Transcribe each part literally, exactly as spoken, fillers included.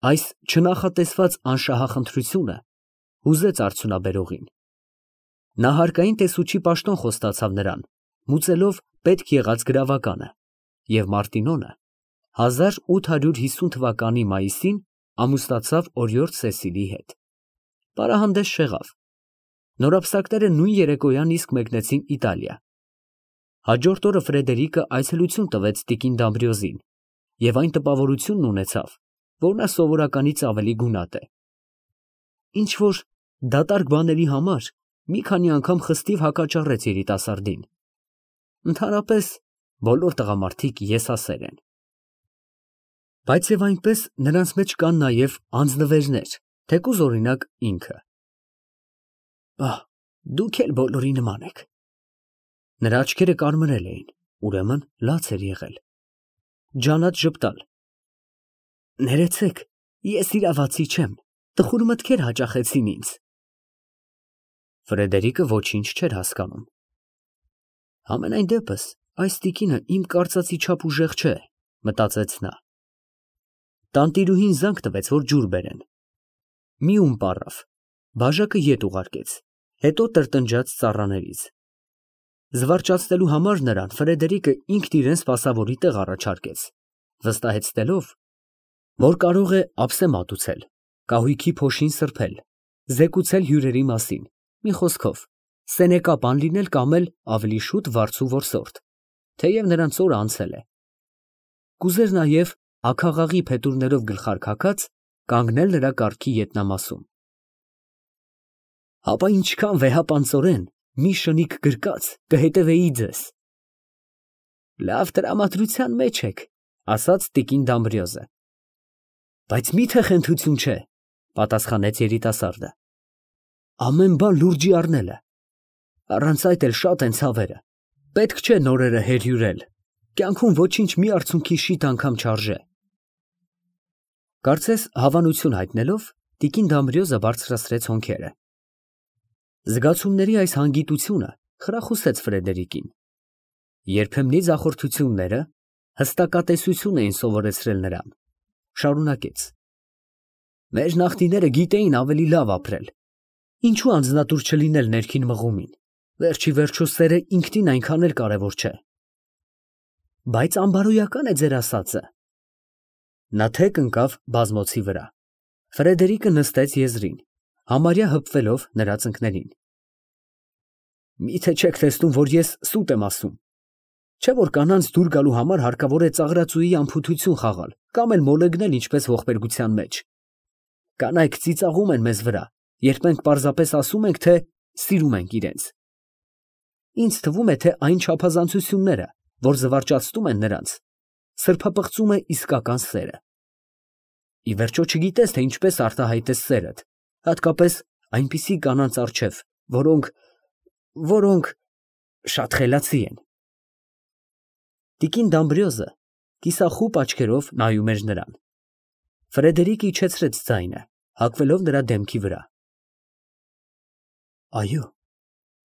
Այս չնախատեսված անշահախնդրությունը հուզեց արդյունաբերողին. նա հարկային տեսուչի պաշտոն խոստացավ նրան, մուծելով պետք եղած գրավականը, և Մարտինոնը հազար ութ հարյուր հիսուն թվականի մայիսին ամուսնացավ օրիորդ Սեսիլի հետ. պարահանդես չեղավ. նորապսակները նույն երեկոյան իսկ մեկնեցին Իտալիա. հաջորդ օրը Ֆրեդերիկը այցելություն տվեց տիկին Դամբրիոզին և այն տպավորությունն ունեցավ, որ նա սովորականից ավելի գունատ է. ինչ֊որ դատարկ բաների համար մի քանի անգամ խստիվ հակաճառեց երիտասարդին. ընդհանրապես բոլոր տղամարդիկ եսասեր են. բայց և այնպես նրանց մեջ կան նաև անձնվերներ, թեկուզ օրինակ ինքը. «Պահ, դուք էլ բոլորի նման եք»։ Նրա աչքերը կարմրել էին, ուրեմն լաց էր եղել. ջանատ ժպտալ. «ներեցեք, ես իրավացի չեմ, տխուր մտքեր հաճախեցին ինձ»։ Ֆրեդերիկը ոչինչ չէր հասկանում. «Համենայն դեպս այս տիկինը իմ կարծածի չափ ուժեղ չէ», մտածեց նա. տանտիրուհին զանգ տվեց, որ ջուր բերեն. մի ում պառավ, բաժակը ետ ուղարկեց, հետո տրտնջաց ծառաներից։ Զվարճացնելու համար նրան Ֆրեդերիկը ինքն իրան սպասավորի տեղ առաջարկեց, վստահեցնելով, որ կարող է ափսե մատուցել, կահույքի փոշին սրբել, զեկուցել հյուրերի մասին, մի խոսքով, սենեկապան լինել կամ էլ ավելի շուտ վարձու որսորդ, թեև նրանց օրը անցել է։ Կուզեր նաև աքաղաղի փետուրներով գլխարկակած կանգնել նրա կառքի ետնամասում։ Հապա ինչքան վեհապանծորեն մի շնիկ գրկած կհետևեի ձեզ։ Լավ տրամադրության մեջ եք, ասաց տիկին Դամբրիոզը։ Բայց մի՞թե խենթություն չէ, պատասխանեց երիտասարդը։ Ամեն բան լուրջի առնելը։ Առանց այդ էլ շատ են ցավերը։ Պետք չէ նորերը հերհյուրել։ Կյանքում ոչինչ մի արցունքի շիթ անգամ չարժե։ Կարծես հավանություն հայտնելով, տիկին Դամբրիոզը բարձրացրեց հոնքերը։ Զգացումների այս հանգիտությունը խրախուսեց Ֆրեդերիկին։ Երբեմնի ձախորդությունները հստակատեսություն էին սովորեցրել նրան։ Շարունակեց. մեր նախնիները գիտեին ավելի լավ ապրել։ Ինչու անձնատուր չլինել ներքին մղումին։ Վերջի վերջո սերը ինքնին այնքան էլ կարևոր չէ։ Բայց անբարոյական է ձեր ասածը։ Նա թեք ընկավ բազմոցի վրա։ Ֆրեդերիկը նստեց եզրին, համարյա հպվելով նրա ծնկներին։ Միթե չեք տեսնում, որ ես սուտ եմ ասում։ Չէ որ կանանց դուր գալու համար հարկավոր է ծաղրածուի անփութություն խաղալ կամ էլ մոլեգնել ինչպես ողբերգության մեջ։ Կանայք ծիծաղում են մեզ վրա, երբ մենք պարզապես ասում ենք, թե սիրում ենք իրենց։ Ինձ թվում է, թե այն չափազանցությունները, որ զվարճացնում են նրանց, սրբապղծում է իսկական սերը։ Ի վերջո չգիտես, թե ինչպես արտահայտես սերդ, հատկապես այնպիսի կանանց առջև, որոնք, որոնք շատ խելացի են։ Տիկին Դամբրիոզը կիսախուպ աչքերով նայում էր նրան։ Ֆրեդերիկը իջեցրեց ձայնը, հագվելով նրա դեմքի վրա։ Այո,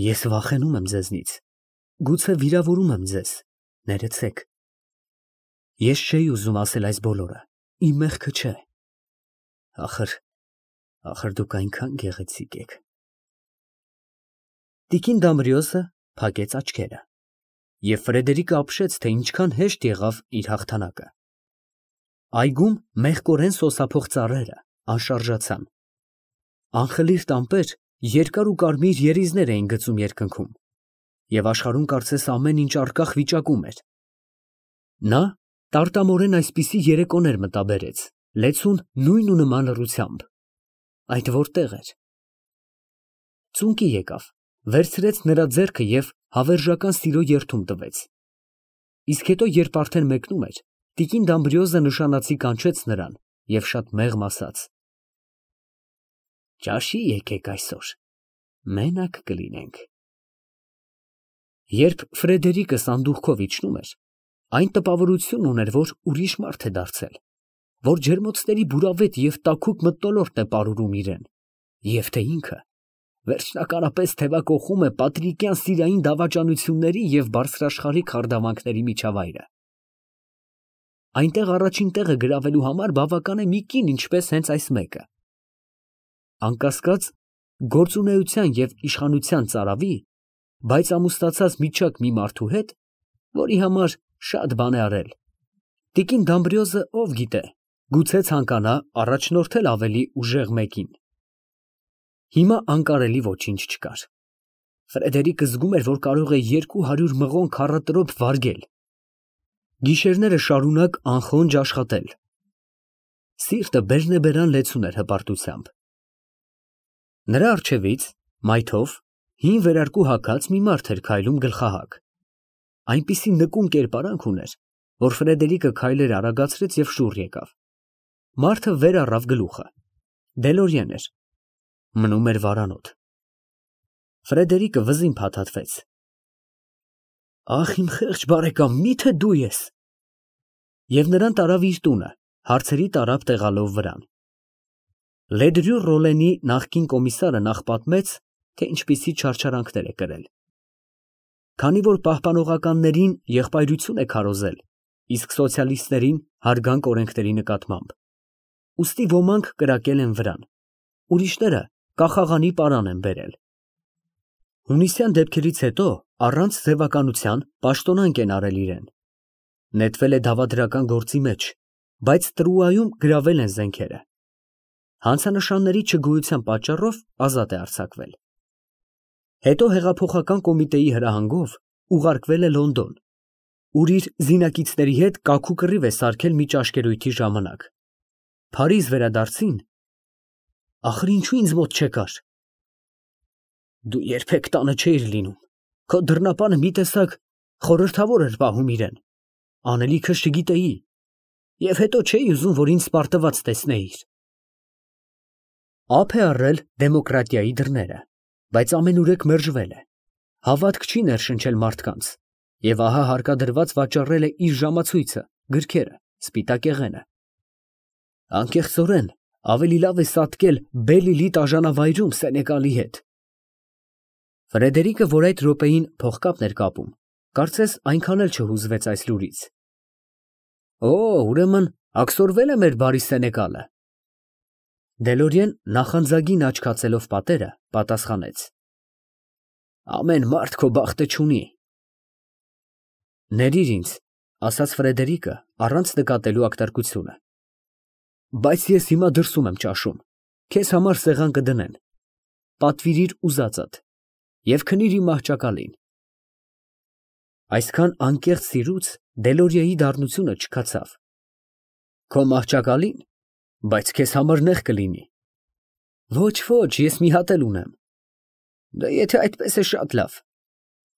ես վախենում եմ ձեզնից, գուցե վիրավորում եմ ձեզ, ներեցեք։ Ես չէի ուզում ասել այս բոլորը, իմ մեղքը չէ։ Ախր, ախր դուք այնքան գեղեցիկ եք։ Տիկին Դամբրիոզը փակեց աչքերը, և Ֆրեդերիկը ապշեց, թե ինչքան հեշտ եղավ իր հաղթանակը։ Այգում մեղկորեն սոսափող ծառերը անշարժացան։ Անխլիր տամպեր երկար ու կարմիր երիզներ էին գծում երկնքում, և աշխարհում կարծես ամեն ինչ առկախ վիճակում էր։ Նա տարտամորեն այսպիսի երեկոներ մտաբերեց, լեցուն նույն ու նման լռությամբ։ Այդ որտեղ էր։ Ծունկի եկավ, վերցրեց նրա ձեռքը և հավերժական սիրո երդում տվեց։ Իսկ հետո, երբ արդեն մեկնում էր, տիկին Դամբրիոզը նշանացի կանչեց նրան և շատ մեղմ ասաց. Ճաշի եկեք այսօր, մենակ կլինենք։ Երբ Ֆրեդերիկը սանդուղքով իջնում էր, այն տպավորությունն ուներ, որ ուրիշ մարդ է դարձել, որ ջերմոցների բուրավետ և տաքուկ մթնոլորտն է պարուրում իրան, և թե ինքը վերջնականապես թևակոխում է պատրիկյան սիրային դավաճանությունների և բարձրաշխարհիկ խարդավանքների միջավայրը։ այնտեղ առաջին տեղը գրավելու համար բավական է մի կին, ինչպես հենց այս մեկը։ Անկասկած, գործունեության և իշխանության ծարավի, բայց ամուսնացած միջակ մի մարդու հետ, որի համար շատ բան է արել, տիկին Դամբրիոզը ով գիտե, գուցե ցանկանա առաջնորդել ավելի ուժեղ մեկին։ Հիմա անկարելի ոչինչ չկար։ Ֆրեդերիկը զգում էր, որ կարող է երկու հարյուր մղոն քառատրոփ վարգել, գիշերները շարունակ անխոնջ աշխատել։ Սիրտը բերնեբերան լեցուն էր հպարտությամբ։ Նրա առջևից, մայթով, հին վերարկու հագած մի մարդ էր քայլում գլխահակ։ Այնպիսի նկուն կերպարանք ուներ, որ Ֆրեդերիկը քայլեր արագացրեց և շուռ եկավ։ Մարդը վեր առավ գլուխը։ Դելորիեն էր։ Մնում էր վարանոտ։ Ֆրեդերիկը վզին փաթաթվեց։ Ախ, իմ խեղճ բարեկամ, միթե դու ես։ Եվ նրան տարավ իր տունը, հարցերի տարափ տեղալով վրան։ Լեդրյու Ռոլենի նախկին կոմիսարը նախ պատմեց, թե ինչպիսի չարչարանքներ է կրել։ Քանի որ պահպանողականներին եղբայրություն է քարոզել, իսկ սոցիալիստներին հարգանք օրենքների նկատմամբ, ուստի ոմանք կրակել են վրան, ուրիշները կախաղանի պարան են բերել։ Հունիսյան դեպքերից հետո առանց ձևականության պաշտոնանկ են արել իրեն։ Նետվել է դավադրական գործի մեջ, բայց Տրուայում գրավել են զենքերը։ Հանցանշանների չգոյության պատճառով ազատ է արձակվել։ Հետո հեղափոխական կոմիտեի հրահանգով ուղարկվել է Լոնդոն, ուր իր զինակիցների հետ կաքու կռիվ է սարքել մի ճաշկերույթի ժամանակ։ Փարիզ վերադարձին, ախր ինչու ինձ մոտ չեկար։ Դու երբեք տանը չէիր լինում, քո դռնապանը մի տեսակ խորհրդավոր էր պահում իրեն, անելիքս չգիտեի, և հետո չէի ուզում, որ ինձ սպարտված տեսնեիր։ Ափ է առել դեմոկրատիայի դռները, բայց ամենուրեք մերժվել է, հավատք չի ներշնչել մարդկանց, և ահա հարկադրված վաճառել է իր ժամացույցը, գրքերը, սպիտակեղենը։ Անկեղծորեն, ավելի լավ է սատկել Բել-Իլի տաժանավայրում Սենեկալի հետ։ Ֆրեդերիկը, որ այդ րոպեին փողկապն էր կապում, կարծես այնքան էլ չհուզվեց այս լուրից։ Օ, ուրեմն աքսորվել է մեր բարի Սենեկալը։ Դելորիեն նախանձագին աչք հացելով պատերը, պատասխանեց. Ամեն մարդ քո բախտը չունի։ Ներիր ինձ, ասաց Ֆրեդերիկը, առանց նկատելու ակտարկությունը։ Բայց ես հիմա դրսում եմ ճաշում, քեզ համար սեղան կդնեն։ Պատվիրիր ուզածդ և քնիր իմ մահճակալին։ Այսքան անկեղծ սիրուց Դելորիեի դառնությունը չքացավ։ Քո մահճակալին, բայց քեզ համար նեղ կլինի։ Ոչ, ոչ, ես մի հատ էլ ունեմ։ Դե եթե այդպես է շատ լավ,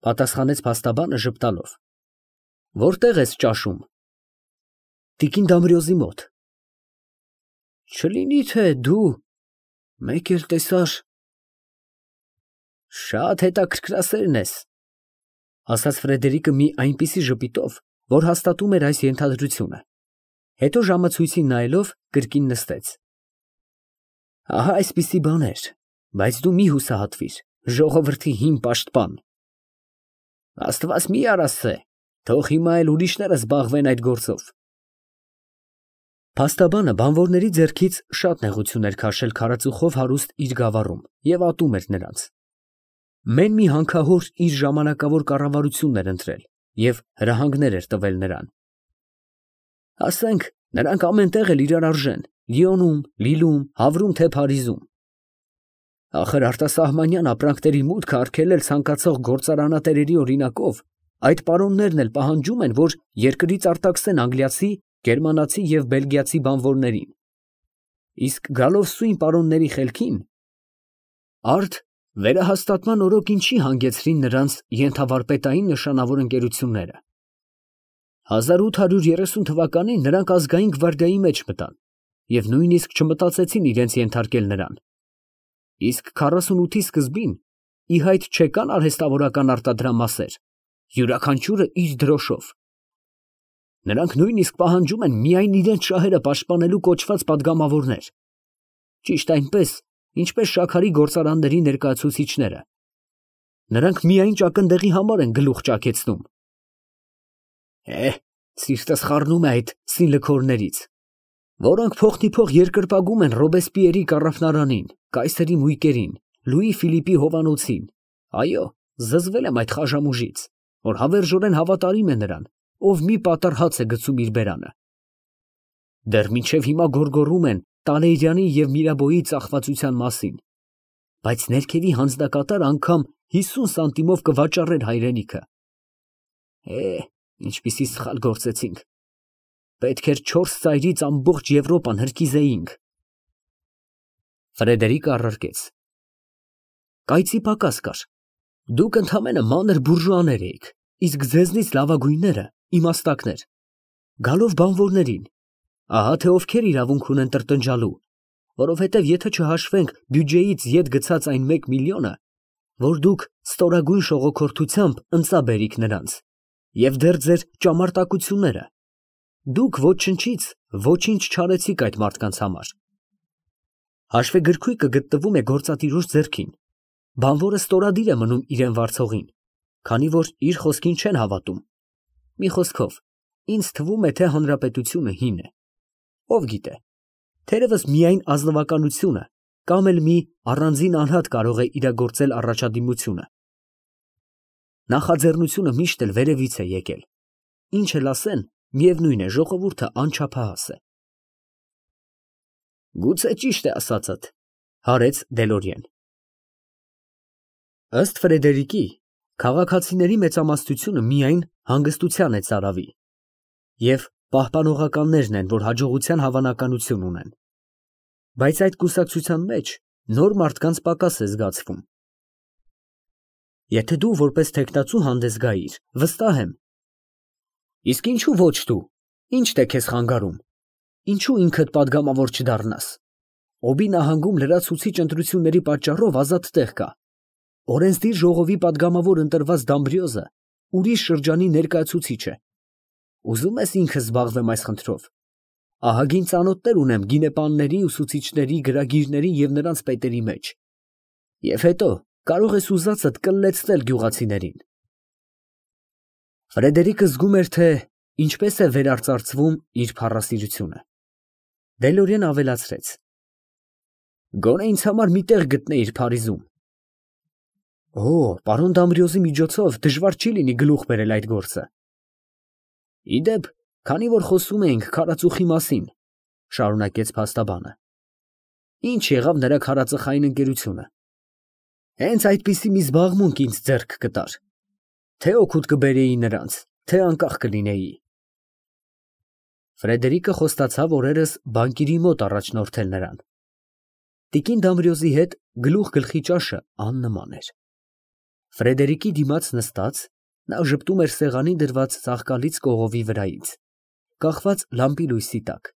պատասխանեց փաստաբանը ժպտալով։ Որտեղ ես ճաշում։ Տիկին Դամբրիոզի մոտ։ Չլինի թե դու մեկ էլ տեսար։ Շատ հետաքրքրասերն ես, ասաց Ֆրեդերիկը մի այնպիսի ժպիտով, որ հաստատում էր այս ենթադրությունը։ Հետո ժամացույցին նայելով կրկին նստեց։ Ահա այսպիսի բաներ, բայց դու մի հուսահատվիր, ժողովրդի հին պաշտպան։ Աստված մի արասցե, թող հիմա էլ ուրիշները զբաղվեն այդ գործով։ Փաստաբանը բանվորների ձեռքից շատ նեղություն էր քաշել քարածուխով հարուստ իր գավառում և ատում էր նրանց։ Մեն մի հանքահոր իր ժամանակավոր կառավարությունն էր ընտրել և հրահանգներ էր տվել նրան։ Ասենք, նրանք ամեն տեղ էլ իրար արժեն, Լիոնում, Լիլում, Հավրում, թե Փարիզում։ Ախր արտասահմանյան ապրանքների մուտքը արգելել ցանկացող գործարանատերերի օրինակով, այդ պարոններն էլ պահանջում են, որ երկրից արտաքսեն անգլիացի, գերմանացի և բելգիացի բանվորներին։ Իսկ գալով սույն պարոնների խելքին, արդ վերահաստատման օրոք ինչի հանգեցրին նրանց ենթավարպետային նշանավոր ընկերությունները։ հազար ութ հարյուր երեսուն թվականին նրանք ազգային գվարդիայի մեջ մտան և նույնիսկ չմտածեցին իրենց ենթարկել նրան։ Իսկ քառասունութի սկզբին ի հայտ չեկան արհեստավորական արտադրամասեր, յուրաքանչյուրը իր դրոշով։ Նրանք նույնիսկ պահանջում են միայն իրենց շահերը պաշտպանելու կոչված պատգամավորներ։ Ճիշտ այնպես, ինչպես շաքարի գործարանների ներկայացուցիչները։ Նրանք միայն ճակնդեղի համար են գլուխ ճաքեցնում։ Է, Սիրտս խառնում է այդ սինլքորներից, որոնք փոխնիփոխ երկրպագում են Ռոբեսպիերի կառավարանին, կայսերի մույկերին, Լուի Ֆիլիպի հովանոցին։ Այո, զզվել եմ այդ խաժամուժից, որ հավերժորեն հավատարիմ է նրան, ով մի պատառ հաց է գցում իր բերանը։ Դեռ մինչև հիմա գոռգոռում են Տալեյրանի և Միրաբոյի ծախվածության մասին, բայց ներքևի հանձնակատար անգամ հիսուն սանտիմով կվաճառեր հայրենիքը։ Է, ինչպիսի սխալ գործեցինք, պետք էր չորս ծայրից ամբողջ Եվրոպան հրկիզեինք։ Ֆրեդերիկը առարկեց. Կայծի պակաս կար, դուք ընդամենը մանր բուրժուաներ էիք, իսկ ձեզնից լավագույնները իմաստակներ, գալով բանվորներին, ահա թե ովքեր իրավունք ունեն տրտնջալու, որովհետև եթե չհաշվենք բյուջեից ետ գցած այն մեկ միլիոնը, որ դուք ստորագույն շողոքորթությամբ ընծա բերիք նրանց, և դեռ ձեր ճամարտակությունները, դուք ոչնչից ոչինչ չարեցիք այդ մարդկանց համար։ Հաշվեգրքույկը գտնվում է գործատիրոջ ձեռքին, բանվորը ստորադիր է մնում իրեն վարձողին, քանի որ իր խոսքին չեն հավատում։ Մի խոսքով, ինձ թվում է, թե հանրապետությունը հին է։ Ով գիտե, թերևս միայն ազնվականությունը կամ էլ մի առանձին անհատ կարող է իրագործել առաջադիմությունը։ Նախաձեռնությունը միշտ էլ վերևից է եկել, ինչ էլ ասեն, միևնույն է, ժողովուրդը անչափահաս է։ Գուցե ճիշտ է ասածդ, հարեց Դելորիեն։ Ըստ Ֆրեդերիկի, քաղաքացիների մեծամասնությունը միայն հանգստության է ծարավի, և պահպանողականներն են, որ հաջողության հավանականություն ունեն։ Բայց այդ կուսակցության մեջ նոր մարդկանց պակաս է զգացվում։ Եթե դու որպես թեկնածու հանդես գայիր, վստահ եմ։ Իսկ ինչու ոչ դու, ի՞նչն է քեզ խանգարում, ինչու ինքդ պատգամավոր չդառնաս։ Օբի նահանգում լրացուցիչ ընտրությունների պատճառով ազատ տեղ կա։ Օրենսդիր ժողովի պատգամավոր ընտրված Դամբրիոզը ուրիշ շրջանի ներկայացուցիչ է։ Ուզում ես ինքս զբաղվեմ այս խնդրով։ Ահագին ծանոթներ ունեմ գինեպանների, ուսուցիչների, գրագիրների և նրանց պետերի մեջ։ Եվ հետո կարող ես ուզածդ կլլեցնել գյուղացիներին։ Ֆրեդերիկը զգում էր, թե ինչպես է վերարծարծվում իր փառասիրությունը։ Դելորիեն ավելացրեց. Գոնե ինձ համար մի տեղ գտնեիր Փարիզում։ Օ, պարոն Դամբրիոզի միջոցով դժվար չի լինի գլուխ բերել այդ գործը։ Իդեպ, քանի որ խոսում էինք քարածուխի մասին, շարունակեց փաստաբանը, ինչ եղավ նրա քարածխային ընկերությունը։ Հենց այդպիսի մի զբաղմունք ինձ ձեռք կտար, թե օգուտ կբերեի նրանց, թե անկախ կլինեի։ Ֆրեդերիկը խոստացավ օրերս բանկիրի մոտ առաջնորդել նրան։ Տիկին Դամբրիոզի հետ գլուխ գլխի ճաշը աննման էր։ Ֆրեդերիկի դիմաց նստած, նա ժպտում էր սեղանին դրված ծաղկալից կողովի վրայից, կախված լամպի լույսի տակ։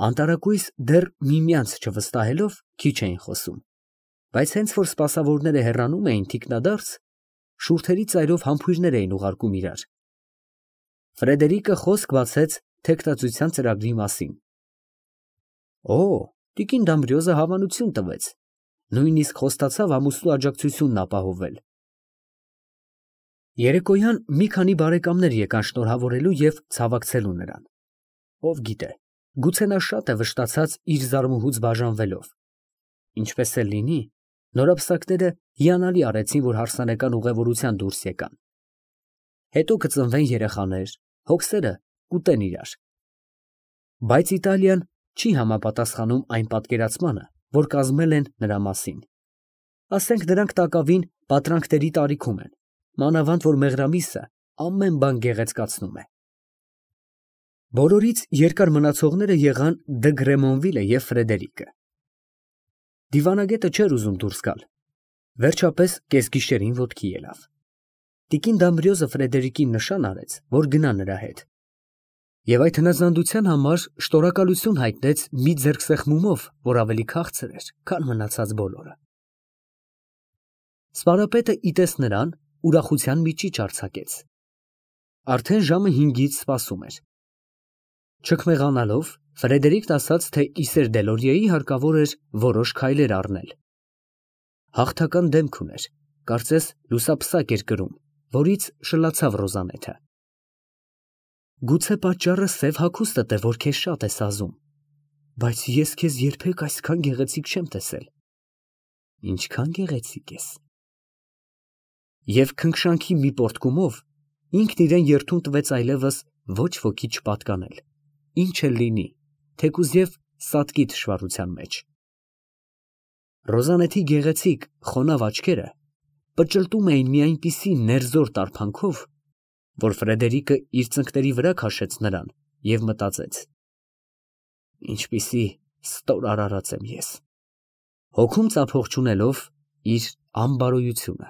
Անտարակույս դեռ միմյանց չվստահելով քիչ էին խոսում, բայց հենց որ սպասավորները հեռանում էին թիկնադարձ, շուրթերի ծայրով համբույրներ էին ուղարկում իրար։ Ֆրեդերիկը խոսք բացեց թեկնածության ծրագրի մասին։ Օ, տիկին Դամբրիոզը հավանություն տվեց, նույնիսկ խոստացավ ամուսնու աջակցությունն ապահովել։ Երեկոյան մի քանի բարեկամներ եկան շնորհավորելու և ցավակցելու նրան։ Ով գիտե, գուցե նա շատ է վշտացած իր զարմուհուց բաժանվելով։ Ինչպես էլ լինի, նորապսակները հիանալի արեցին, որ հարսանեկան ուղևորության դուրս եկան։ Հետո կծնվեն երեխաներ, հոգսերը կուտեն իրար։ Բայց Իտալիան չի համապատասխանում այն պատկերացմանը, որ կազմել են նրա մասին։ Ասենք նրանք տակավին պատրանքների տարիքում են, մանավանդ որ մեղրամիսը ամեն բան գեղեցկացնում է։ Բոլորից երկար մնացողները եղան Դը Գրեմոնվիլը և Ֆրեդերիկը։ Դիվանագետը չէր ուզում դուրս գալ։ Վերջապես կեսգիշերին ոտքի ելավ։ Տիկին Դամբրիոզը Ֆրեդերիկին նշան արեց, որ գնա նրա հետ։ Եվ այդ հնազանդության համար շնորհակալություն հայտնեց մի ձեռքսեղմումով, որ ավելի քաղցր էր, քան մնացած բոլորը։ Սպարապետը իտես նրան, ուրախության միջիչ արձակեց։ Արդեն ժամը հինգից սպասում էր։ Չքմեղանալով, Ֆրեդերիկն ասաց, թե Իսեր Դելորիեի հարկավոր էր որոշ քայլեր առնել։ Հաղթական դեմք ուներ, կարծես լուսապսակ էր կրում, որից շլացավ Ռոզանեթը։ Գուցե պատճառը սև հագուստդ է, որ քեզ շատ է սազում, բայց ես քեզ երբեք այսքան գեղեցիկ չեմ տեսել։ Ինչքան գեղեցիկ ես։ Եվ քնքշանքի մի պոռթկումով ինքն իրան երդում տվեց այլևս ոչ ոքի չպատկանել, ինչ էլ լինի, թեկուզ սատկի թշվառության մեջ։ Ռոզանեթի գեղեցիկ, խոնավ աչքերը պճլտում էին մի այնպիսի ներզոր տարփանքով, որ Ֆրեդերիկը իր ծնկների վրա քաշեց նրան և մտածեց. ինչպիսի ստոր արարած եմ ես, հոգում ծափող չունելով իր անբարոյությունը։